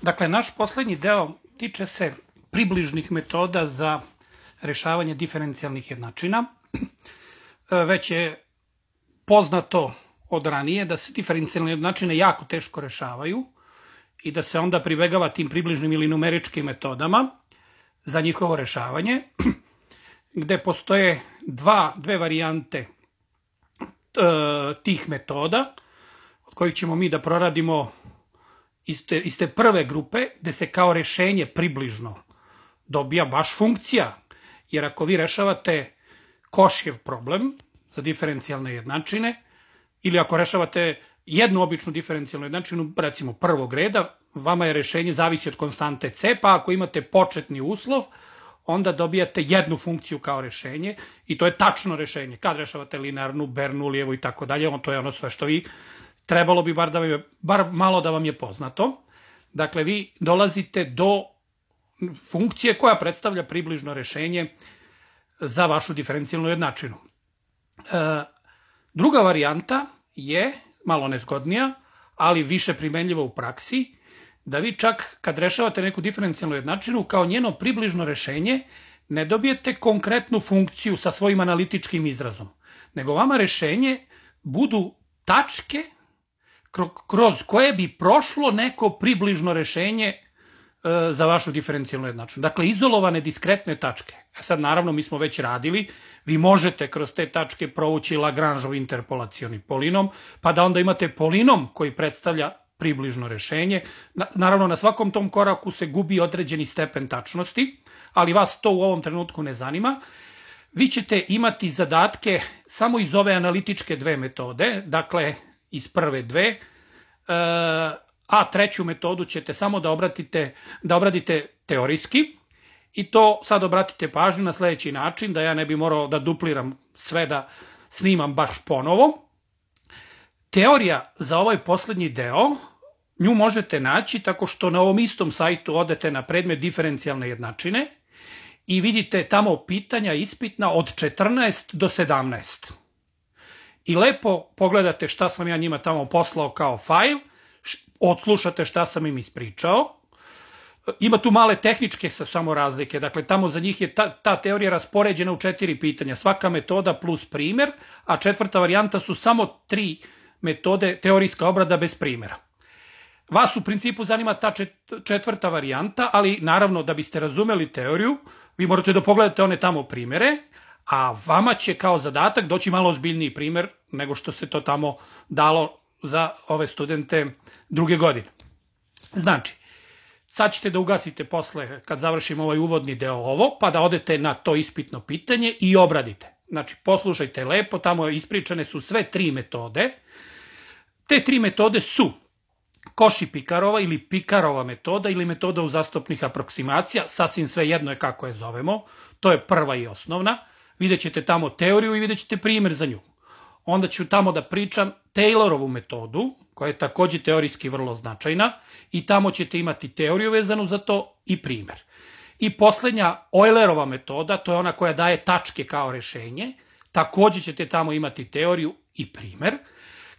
Dakle, naš poslednji deo tiče se približnih metoda za rešavanje diferencijalnih jednačina. Već je poznato od ranije da se diferencijalne jednačine jako teško rešavaju i da se onda pribegava tim približnim ili numeričkim metodama za njihovo rešavanje, gde postoje dve varijante tih metoda, od kojih ćemo mi da proradimo iz te prve grupe, gde se kao rešenje približno dobija baš funkcija. Jer ako vi rešavate Košijev problem za diferencijalne jednačine, ili ako rešavate jednu običnu diferencijalnu jednačinu, recimo prvog reda, vama je rešenje zavisi od konstante c, pa ako imate početni uslov, onda dobijate jednu funkciju kao rešenje i to je tačno rešenje. Kad rešavate linearnu, Bernoullijevu i tako dalje, to je ono sve što vi trebalo bi bar malo da vam je poznato. Dakle, vi dolazite do funkcije koja predstavlja približno rešenje za vašu diferencijalnu jednačinu. Druga varijanta je malo nezgodnija, ali više primenljiva u praksi, da vi čak kad rešavate neku diferencijalnu jednačinu, kao njeno približno rešenje, ne dobijete konkretnu funkciju sa svojim analitičkim izrazom, nego vama rešenje budu tačke kroz koje bi prošlo neko približno rešenje za vašu diferencijalnu jednačinu. Dakle, izolovane diskretne tačke. Sad, naravno, mi smo već radili, vi možete kroz te tačke provući Lagrangeov interpolacioni polinom, pa da onda imate polinom koji predstavlja približno rešenje. Naravno, na svakom tom koraku se gubi određeni stepen tačnosti, ali vas to u ovom trenutku ne zanima. Vi ćete imati zadatke samo iz ove analitičke dve metode, dakle, iz prve dve, a treću metodu ćete samo da obradite teorijski, i to sad obratite pažnju na sledeći način, da ja ne bi morao da dupliram sve, da snimam baš ponovo. Teorija za ovaj poslednji deo, nju možete naći tako što na ovom istom sajtu odete na predmet diferencijalne jednačine i vidite tamo pitanja ispitna od 14 do 17. I lepo pogledate šta sam ja njima tamo poslao kao fajl, odslušate šta sam im ispričao. Ima tu male tehničke samo razlike, dakle tamo za njih je ta teorija raspoređena u 4 pitanja, svaka metoda plus primer, a četvrta varijanta su samo 3 metode teorijska obrada bez primera. Vas u principu zanima ta četvrta varijanta, ali naravno da biste razumeli teoriju, vi morate da pogledate one tamo primere, a vama će kao zadatak doći malo ozbiljniji primer nego što se to tamo dalo za ove studente druge godine. Znači, sad ćete da ugasite posle, kad završimo ovaj uvodni deo ovo, pa da odete na to ispitno pitanje i obradite. Znači, poslušajte lepo, tamo ispričane su sve 3 metode. Te 3 metode su Cauchy-Picarova ili Picarova metoda ili metoda uzastopnih aproksimacija, sasvim sve jedno je kako je zovemo, to je prva i osnovna. Vidjet ćete tamo teoriju i vidjet ćete primer za nju. Onda ću tamo da pričam Taylorovu metodu, koja je takođe teorijski vrlo značajna, i tamo ćete imati teoriju vezanu za to i primer. I poslednja Eulerova metoda, to je ona koja daje tačke kao rešenje, takođe ćete tamo imati teoriju i primer.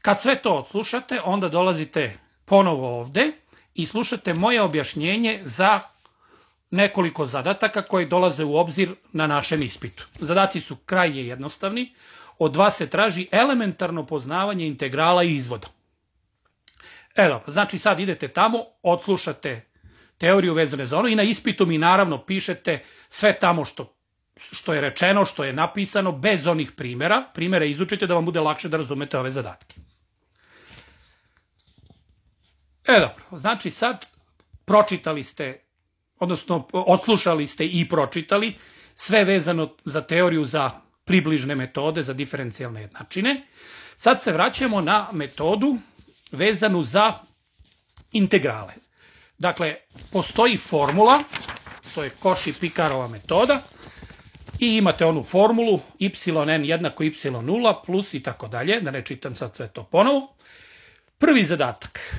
Kad sve to odslušate, onda dolazite ponovo ovde i slušate moje objašnjenje za nekoliko zadataka koji dolaze u obzir na našem ispitu. Zadaci su krajnje jednostavni. Od vas se traži elementarno poznavanje integrala i izvoda. Znači sad idete tamo, odslušate teoriju vezane za ono i na ispitu mi naravno pišete sve tamo što je rečeno, što je napisano, bez onih primera. Primere izučite da vam bude lakše da razumete ove zadatke. Znači sad pročitali ste, odnosno odslušali ste i pročitali sve vezano za teoriju za približne metode za diferencijalne jednačine. Sad se vraćamo na metodu vezanu za integrale. Dakle, postoji formula, to je Cauchy-Picarova metoda, i imate onu formulu yn jednako y0 plus i tako dalje, da ne čitam sad sve to ponovo. Prvi zadatak.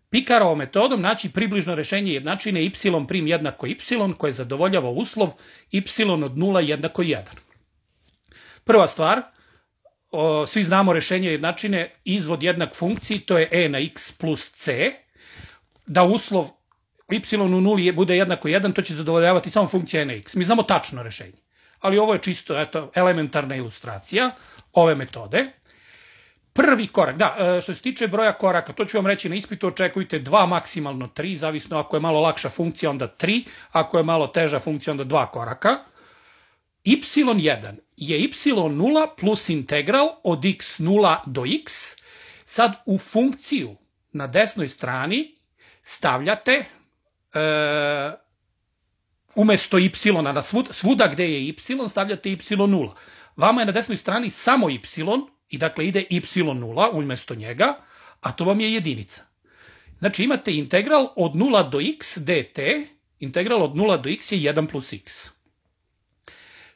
Picarovom metodom naći približno rešenje jednačine y' jednako y, koje zadovoljava uslov y od 0 jednako 1. Prva stvar, svi znamo rešenje jednačine izvod jednak funkciji, to je e na x plus c, da uslov y u nuli bude jednako 1, to će zadovoljavati samo funkcija n x. Mi znamo tačno rešenje. Ali ovo je čisto elementarna ilustracija ove metode. Prvi korak, što se tiče broja koraka, to ću vam reći na ispitu, očekujte 2, maksimalno 3, zavisno ako je malo lakša funkcija, onda 3, ako je malo teža funkcija, onda 2 koraka. y1 je y0 plus integral od x0 do x. Sad u funkciju na desnoj strani stavljate umesto y, svuda gde je y, stavljate y0. Vama je na desnoj strani samo y, i dakle ide y0 umesto njega, a to vam je jedinica. Znači imate integral od 0 do x dt, integral od 0 do x je 1 plus x.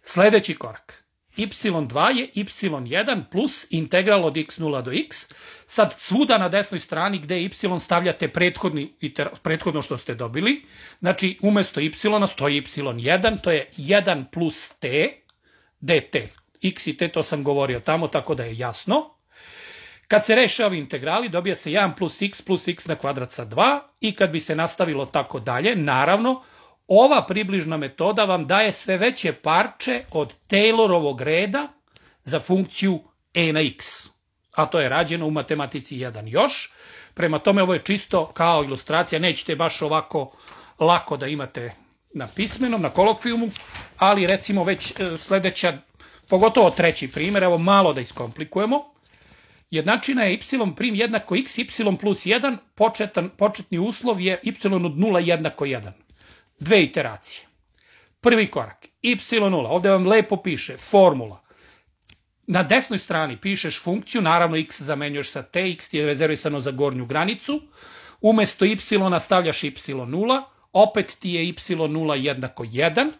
Sledeći korak, y2 je y1 plus integral od x0 do x. Sad svuda na desnoj strani gde je y stavljate prethodno što ste dobili. Znači umesto y stoji y1, to je 1 plus t dt. X i t, to sam govorio tamo, tako da je jasno. Kad se reše ovi integrali, dobija se 1 plus x na kvadrat sa 2 i kad bi se nastavilo tako dalje, naravno, ova približna metoda vam daje sve veće parče od Taylorovog reda za funkciju e na x. A to je rađeno u matematici 1 još. Prema tome, ovo je čisto kao ilustracija, nećete baš ovako lako da imate na pismenom, na kolokvijumu, ali recimo već sledeća, pogotovo treći primjer, evo malo da iskomplikujemo. Jednačina je y' jednako x, y plus 1, početni uslov je y od 0 jednako 1. Dve iteracije. Prvi korak, y0, ovde vam lepo piše formula. Na desnoj strani pišeš funkciju, naravno x zamenjuješ sa t, x ti je rezervisano za gornju granicu, umesto y stavljaš y0, opet ti je y0 jednako 1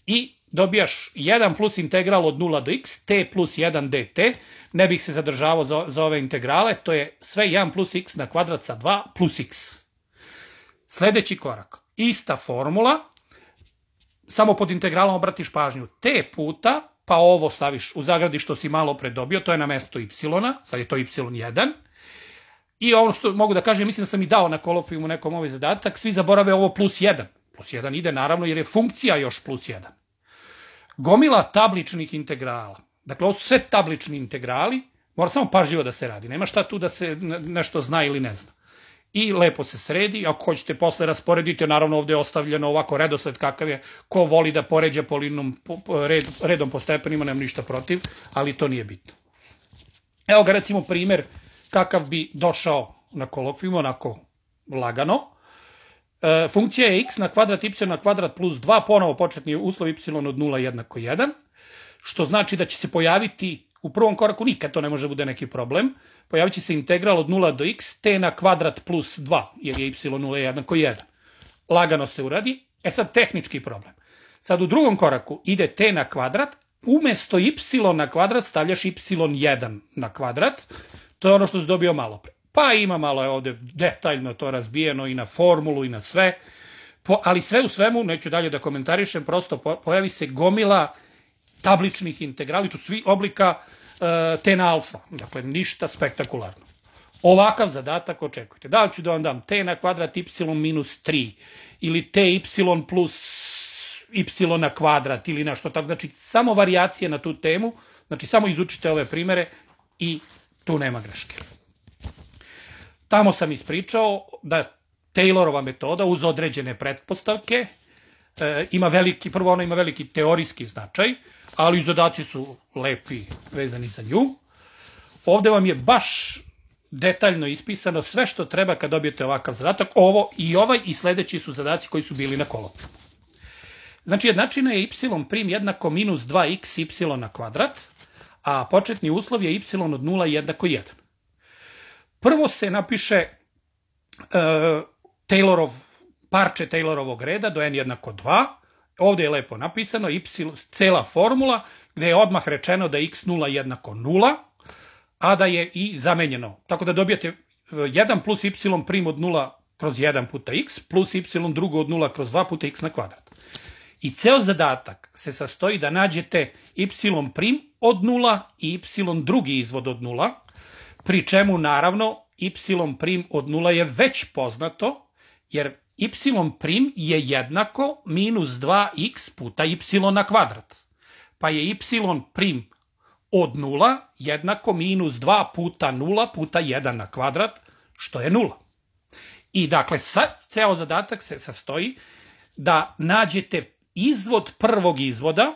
i dobijaš 1 plus integral od 0 do x, t plus 1 dt, ne bih se zadržavao za ove integrale, to je sve 1 plus x na kvadrat sa 2 plus x. Sledeći korak, ista formula, samo pod integralom obratiš pažnju t puta, pa ovo staviš u zagradi što si malo pre dobio, to je na mesto y, sad je to y1. I ono što mogu da kažem, mislim da sam i dao na kolokvijumu nekom ovaj zadatak, svi zaborave ovo plus 1. Plus 1 ide naravno jer je funkcija još plus 1. Gomila tabličnih integrala, dakle ovo su sve tablični integrali, mora samo pažljivo da se radi, nema šta tu da se nešto zna ili ne zna. I lepo se sredi, ako hoćete posle rasporedite, naravno ovde je ostavljeno ovako redosled kakav je, ko voli da poređa redom po stepenima, nemam ništa protiv, ali to nije bitno. Evo ga recimo primer kakav bi došao na kolokvijumu, onako lagano. Funkcija je x na kvadrat y na kvadrat plus 2, ponovo početni uslov y od 0 jednako 1, što znači da će se pojaviti, u prvom koraku nikad to ne može bude neki problem, pojavit će se integral od 0 do x, t na kvadrat plus 2, jer je y0 jednako 1. Lagano se uradi, sad tehnički problem. Sad u drugom koraku ide t na kvadrat, umesto y na kvadrat stavljaš y1 na kvadrat, to je ono što si dobio malo pre. Pa ima malo je ovde detaljno to razbijeno i na formulu i na sve, ali sve u svemu, neću dalje da komentarišem, prosto pojavi se gomila tabličnih integrali, tu svi oblika t na alfa, dakle ništa spektakularno. Ovakav zadatak očekujte. Da li ću da vam dam t na kvadrat y minus 3 ili t y plus y na kvadrat ili nešto tako, znači samo varijacije na tu temu, znači samo izučite ove primere i tu nema greške. Tamo sam ispričao da Taylorova metoda uz određene pretpostavke prvo ona ima veliki teorijski značaj, ali zadaci su lepi vezani za nju. Ovde vam je baš detaljno ispisano sve što treba kad dobijete ovakav zadatak. Ovo i ovaj i sledeći su zadaci koji su bili na kolokvijumu. Znači jednačina je y' jednako minus 2x y na kvadrat, a početni uslov je y od 0 jednako 1. Prvo se napiše parče Taylorovog reda do n jednako 2. Ovde je lepo napisano cela formula gde je odmah rečeno da je x0 jednako 0, a da je i zamenjeno. Tako da dobijate 1 plus y' od 0 kroz 1 puta x plus y drugo od 0 kroz 2 puta x na kvadrat. I ceo zadatak se sastoji da nađete y' od 0 i y drugi izvod od 0, pri čemu naravno y' od 0 je već poznato, jer y' je jednako minus 2x puta y na kvadrat. Pa je y' od 0 jednako minus 2 puta 0 puta 1 na kvadrat, što je 0. I dakle, ceo zadatak se sastoji da nađete izvod prvog izvoda,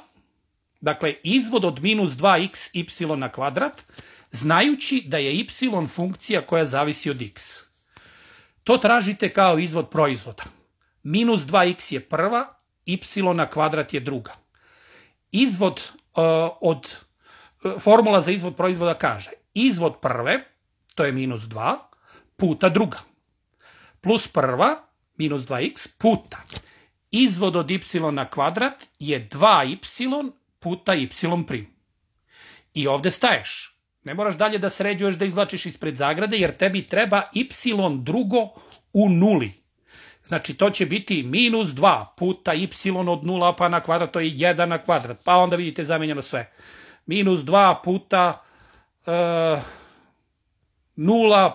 dakle, izvod od minus 2x y na kvadrat, znajući da je y funkcija koja zavisi od x. To tražite kao izvod proizvoda. Minus 2x je prva, y na kvadrat je druga. Formula za izvod proizvoda kaže izvod prve, to je minus 2, puta druga. Plus prva, minus 2x, puta. Izvod od y na kvadrat je 2y puta y'. I ovde staješ. Ne moraš dalje da sređuješ, da izvlačiš ispred zagrade, jer tebi treba y drugo u nuli. Znači, to će biti minus 2 puta y od 0 pa na kvadrat, to je 1 na kvadrat. Pa onda vidite zamenjeno sve. Minus 2 puta 0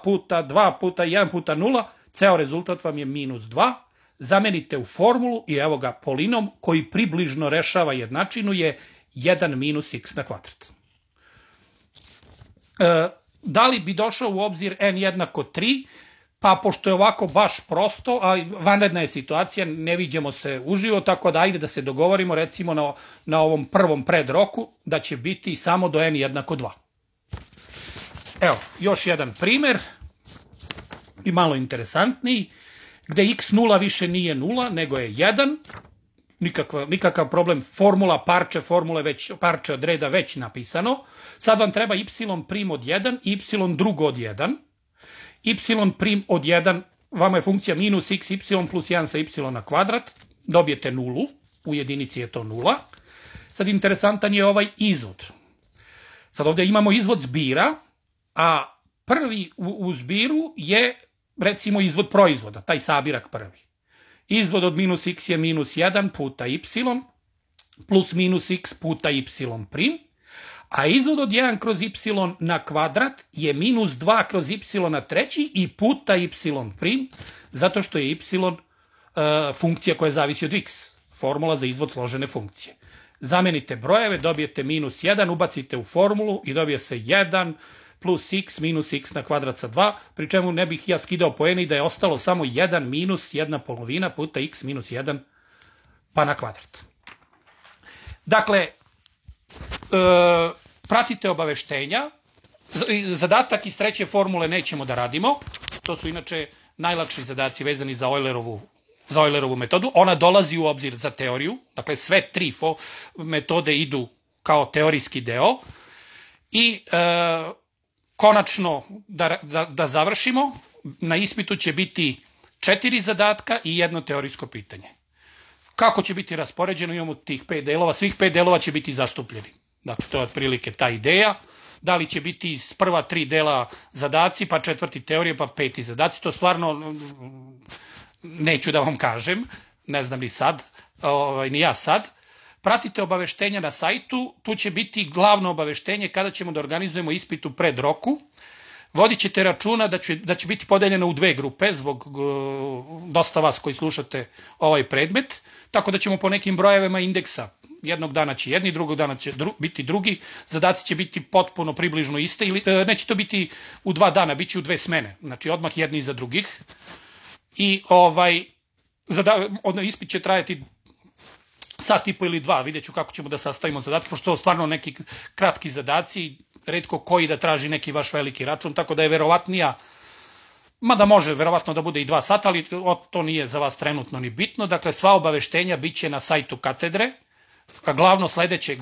puta 2 puta 1 puta 0. Ceo rezultat vam je minus 2. Zamenite u formulu i evo ga polinom koji približno rešava jednačinu je 1 minus x na kvadrat. Da li bi došao u obzir n jednako 3? Pa pošto je ovako baš prosto, ali vanredna je situacija, ne viđemo se uživo, tako da ajde da se dogovorimo recimo na ovom prvom predroku da će biti samo do n jednako 2. Evo, još jedan primer i malo interesantniji, gde x0 više nije 0, nego je 1, nikakav problem, formula parče od reda već napisano, sad vam treba y' od 1, y drugo od 1, y' od 1, vama je funkcija minus x, y plus 1 sa y na kvadrat, dobijete nulu, u jedinici je to 0. Sad interesantan je ovaj izvod. Sad ovde imamo izvod zbira, a prvi u zbiru je recimo izvod proizvoda, taj sabirak prvi. Izvod od minus x je minus 1 puta y plus minus x puta y', a izvod od 1 kroz y na kvadrat je minus 2 kroz y na treći i puta y', zato što je y funkcija koja zavisi od x, formula za izvod složene funkcije. Zamenite brojeve, dobijete minus 1, ubacite u formulu i dobije se 1 plus x minus x na kvadrat sa 2, pri čemu ne bih ja skidao poene i da je ostalo samo 1 minus 1 polovina puta x minus 1 pa na kvadrat. Dakle, pratite obaveštenja. Zadatak iz treće formule nećemo da radimo. To su inače najlakši zadaci vezani za Eulerovu metodu. Ona dolazi u obzir za teoriju. Dakle, sve tri metode idu kao teorijski deo. I konačno da završimo, na ispitu će biti 4 zadatka i jedno teorijsko pitanje. Kako će biti raspoređeno? Imamo tih 5 delova, svih 5 delova će biti zastupljeni. Dakle, to je otprilike ta ideja. Da li će biti iz prva 3 dela zadaci, pa 4. teorije, pa 5. zadaci, to stvarno neću da vam kažem, ne znam ni sad, ni ja sad. Pratite obaveštenja na sajtu, tu će biti glavno obaveštenje kada ćemo da organizujemo ispit u predroku. Vodit ćete računa da će biti podeljeno u 2 grupe, zbog dosta vas koji slušate ovaj predmet, tako da ćemo po nekim brojevima indeksa, jednog dana će jedni, drugog dana će biti drugi, zadaci će biti potpuno približno iste, ili neće to biti u 2 dana, bit će u 2 smene, znači odmah jedni iza drugih. I ispit će trajati sat i po ili 2, vidjet ću kako ćemo da sastavimo zadatke, pošto to stvarno neki kratki zadaci, retko koji da traži neki vaš veliki račun, tako da je verovatnija, mada može verovatno da bude i 2 sata, ali to nije za vas trenutno ni bitno. Dakle, sva obaveštenja bit će na sajtu katedre, a glavno sledeće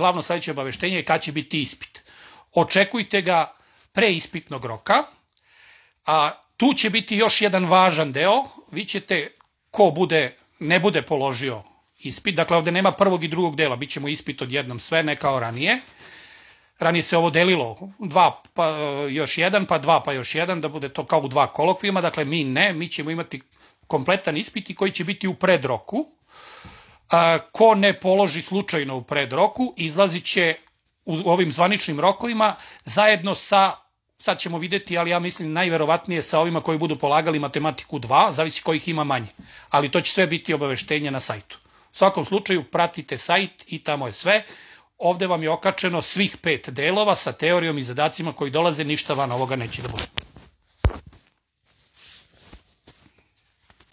obaveštenje je kad će biti ispit. Očekujte ga pre ispitnog roka, a tu će biti još jedan važan deo, vi ćete, ko ne bude položio ispit, dakle ovde nema prvog i drugog dela, bit ćemo ispit odjednom sve, ne kao ranije. Ranije se ovo delilo 2 pa još 1, pa 2 pa još 1, da bude to kao u 2 kolokvijuma, dakle mi ćemo imati kompletan ispit i koji će biti u predroku. Ko ne položi slučajno u predroku, izlazit će u ovim zvaničnim rokovima zajedno sa sad ćemo videti, ali ja mislim najverovatnije sa ovima koji budu polagali matematiku 2, zavisi kojih ima manje. Ali to će sve biti obaveštenje na sajtu. U svakom slučaju pratite sajt i tamo je sve. Ovde vam je okačeno svih 5 delova sa teorijom i zadacima koji dolaze, ništa van ovoga neće da bude.